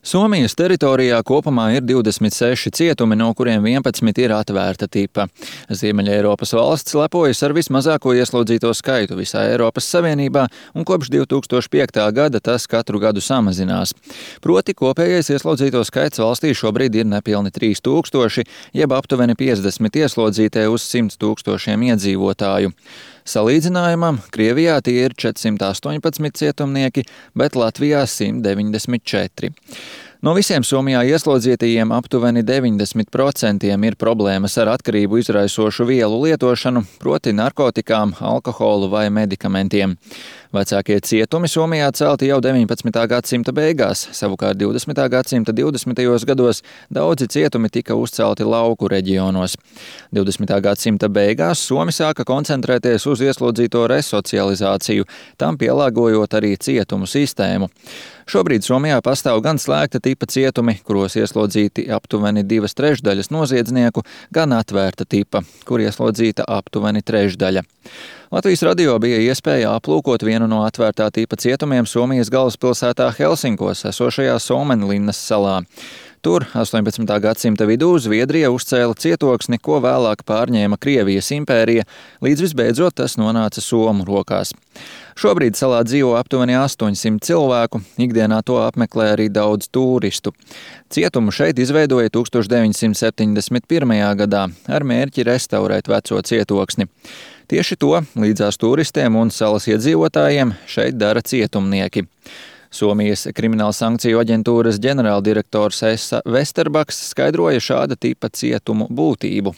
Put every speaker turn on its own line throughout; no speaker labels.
Somijas teritorijā kopumā ir 26 cietumi, no kuriem 11 ir atvērta tipa. Ziemeļeiropas valsts lepojas ar vismazāko ieslodzīto skaitu visā Eiropas Savienībā, un kopš 2005. gada tas katru gadu samazinās. Proti kopējais ieslodzīto skaits valstī šobrīd ir nepilni 3000, jeb aptuveni 50 ieslodzītie uz 100 000 iedzīvotāju. Salīdzinājumam, Krievijā tie ir 418 cietumnieki, bet Latvijā 194. No visiem Somijā ieslodzītajiem aptuveni 90% ir problēmas ar atkarību izraisošu vielu lietošanu, proti narkotikām, alkoholu vai medikamentiem. Vecākie cietumi Somijā celti jau 19. gadsimta beigās, savukārt 20. gadsimta 20. gados daudzi cietumi tika uzcelti lauku reģionos. 20. gadsimta beigās Somi sāka koncentrēties uz ieslodzīto resocializāciju, tam pielāgojot arī cietumu sistēmu. Šobrīd Somijā pastāv gan slēgta tipa cietumi, kuros ieslodzīti aptuveni 2/3 noziedznieku, gan atvērta tipa, kur ieslodzīta aptuveni 1/3. Latvijas radio bija iespēja aplūkot vienu no atvērtā tipa cietumiem Somijas galvaspilsētā Helsinkos esošajā Somenlinnas salā. Tur 18. gadsimta vidū Zviedrija uzcēla cietoksni, ko vēlāk pārņēma Krievijas impērija, līdz visbeidzot tas nonāca Somu rokās. Šobrīd salā dzīvo aptuveni 800 cilvēku, ikdienā to apmeklē arī daudz turistu. Cietumu šeit izveidoja 1971. gadā ar mērķi restaurēt veco cietoksni. Tieši to līdzās turistiem un salas iedzīvotājiem šeit dara cietumnieki. Somijas krimināla sankciju aģentūras ģenerāldirektors Esa Vesterbaks skaidroja šāda tipa cietumu būtību.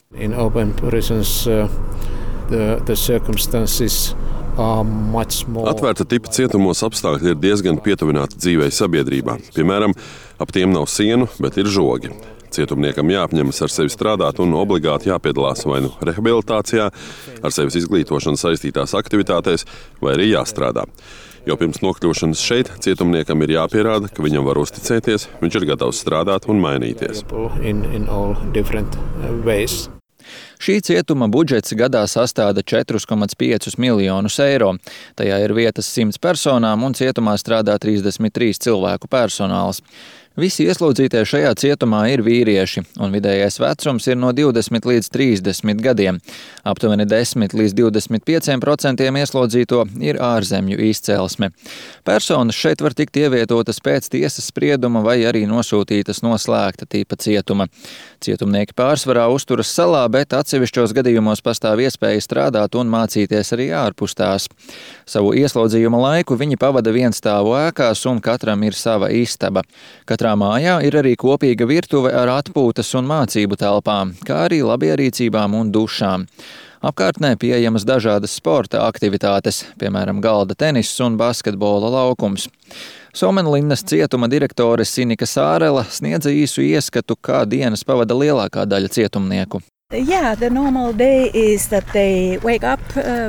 Atvērta tipa cietumos apstākļi ir diezgan pietuvināti dzīvei sabiedrībā. Piemēram, ap tiem nav sienu, bet ir žogi. Cietumniekam jāapņemas ar sevi strādāt un obligāti jāpiedalās vai nu rehabilitācijā, ar sevis izglītošanu saistītās aktivitātēs, vai arī jāstrādā. Jo pirms nokļūšanas šeit cietumniekam ir jāpierāda, ka viņam var uzticēties, viņš ir gatavs strādāt un mainīties.
Šī cietuma budžets gadā sastāda 4,5 miljonus eiro. Tajā ir vietas 100 personām un cietumā strādā 33 cilvēku personāls. Visi ieslodzītie šajā cietumā ir vīrieši, un vidējais vecums ir no 20 līdz 30 gadiem. Aptuveni 10 līdz 25% ieslodzīto ir ārzemju izcelsme. Personas šeit var tikt ievietotas pēc tiesas sprieduma vai arī nosūtītas no slēgta tipa cietuma. Cietumnieki pārsvarā uzturas salā, bet atsevišķos gadījumos pastāv iespēja strādāt un mācīties arī ārpus tās. Savu ieslodzījuma laiku viņi pavada vienstāvu ēkās un katram ir sava istaba. Katrā mājā ir arī kopīga virtuve ar atpūtas un mācību telpām, kā arī labierīcībām un dušām. Apkārtnē pieejamas dažādas sporta aktivitātes, piemēram, galda tenis un basketbola laukums. Somenlinnas cietuma direktore Sinika Sārela sniedza īsu ieskatu, kā dienas pavada lielākā daļa cietumnieku.
Yeah, the normal day is that they wake up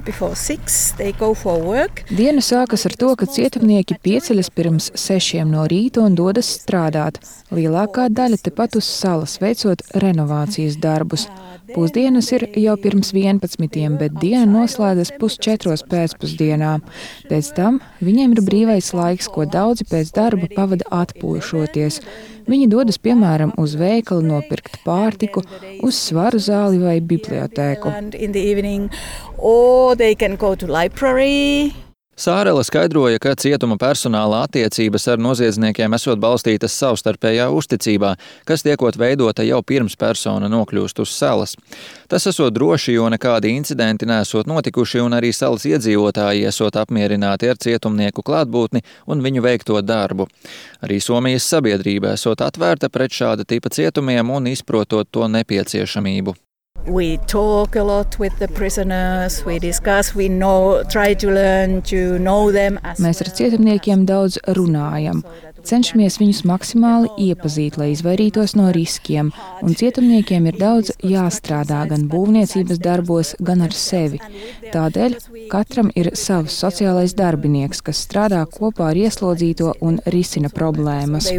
before 6, they go for work.
Diena sākas ar to, ka cietumnieki pieceļas pirms 6 no rīta un dodas strādāt. Lielākā daļa tepat uz salas, veicot renovācijas darbus. Pusdienas ir jau pirms 11, bet diena noslēdzas 3:30 pēcpusdienā. Pēc tam viņiem ir brīvais laiks, ko daudzi pēc darba pavada atpūšoties. Viņi dodas, piemēram, uz veikalu nopirkt pārtiku, uz svaru zāli vai bibliotēku.
Sārela skaidroja, ka cietuma personāla attiecības ar noziedzniekiem esot balstītas savstarpējā uzticībā, kas tiekot veidota jau pirms persona nokļūst uz salas. Tas esot droši, jo nekādi incidenti nesot notikuši un arī salas iedzīvotāji esot apmierināti ar cietumnieku klātbūtni un viņu veikto darbu. Arī Somijas sabiedrība esot atvērta pret šāda tipa cietumiem un izprotot to nepieciešamību.
We talk a lot with the prisoners, we discuss, try to learn to know them.
Mēs ar cietumniekiem daudz runājam. Cenšamies viņus maksimāli iepazīt, lai izvairītos no riskiem, un cietumniekiem ir daudz jāstrādā gan būvniecības darbos, gan ar sevi. Tādēļ katram ir savs sociālais darbinieks, kas strādā kopā ar ieslodzīto un risina problēmas.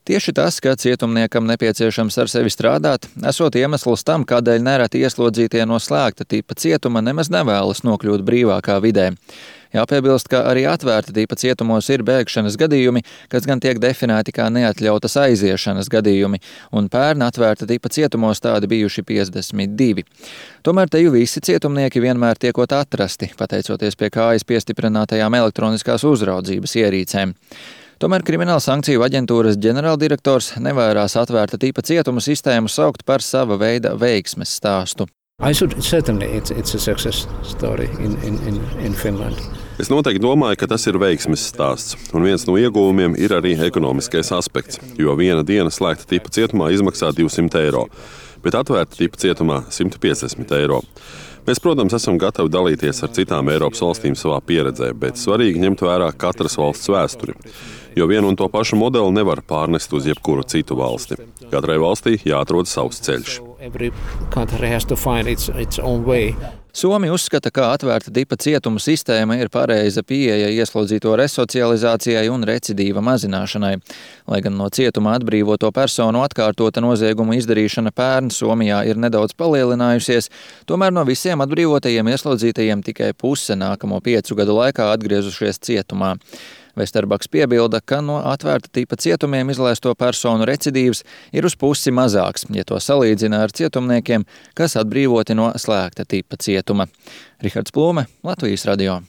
Tieši tas, ka cietumniekam nepieciešams ar sevi strādāt, esot iemesls tam, kādēļ nereti ieslodzītie no slēgta tipa cietuma nemaz nevēlas nokļūt brīvākā vidē. Jāpiebilst, ka arī atvērta tipa cietumos ir bēgšanas gadījumi, kas gan tiek definēti kā neatļautas aiziešanas gadījumi, un pērn atvērta tipa cietumos tādi bijuši 52. Tomēr te jau visi cietumnieki vienmēr tiekot atrasti, pateicoties pie kājas piestiprinātajām elektroniskās uzraudzības ierīcēm. Tomēr Krimināla sankciju aģentūras ģenerāldirektors nevairās atvērta tipa cietuma sistēmu saukt par sava veida veiksmes stāstu.
Es noteikti domāju, ka tas ir veiksmes stāsts, un viens no ieguvumiem ir arī ekonomiskais aspekts, jo viena diena slēgta tipa cietumā izmaksā 200 eiro, bet atvērta tipa cietumā 150 eiro. Mēs, protams, esam gatavi dalīties ar citām Eiropas valstīm savā pieredzē, bet svarīgi ņemt vērā katras valsts vēsturi, jo vienu un to pašu modeli nevar pārnest uz jebkuru citu valsti. Katrai valstī jāatrod savs ceļš.
Somi uzskata, ka atvērta tipa cietuma sistēma ir pareiza pieeja ieslodzīto resocializācijai un recidīva mazināšanai. Lai gan no cietuma atbrīvoto personu atkārtota nozieguma izdarīšana pērn Somijā ir nedaudz palielinājusies, tomēr no visiem atbrīvotajiem ieslodzītajiem tikai puse nākamo 5 gadu laikā atgriezušies cietumā. Vesterbaks piebilda, ka no atvērta tipa cietumiem izlaisto personu recidīvs ir uz pusi mazāks, ja to salīdzina ar cietumniekiem, kas atbrīvoti no slēgta tipa cietuma. Rihards Plūme, Latvijas radio.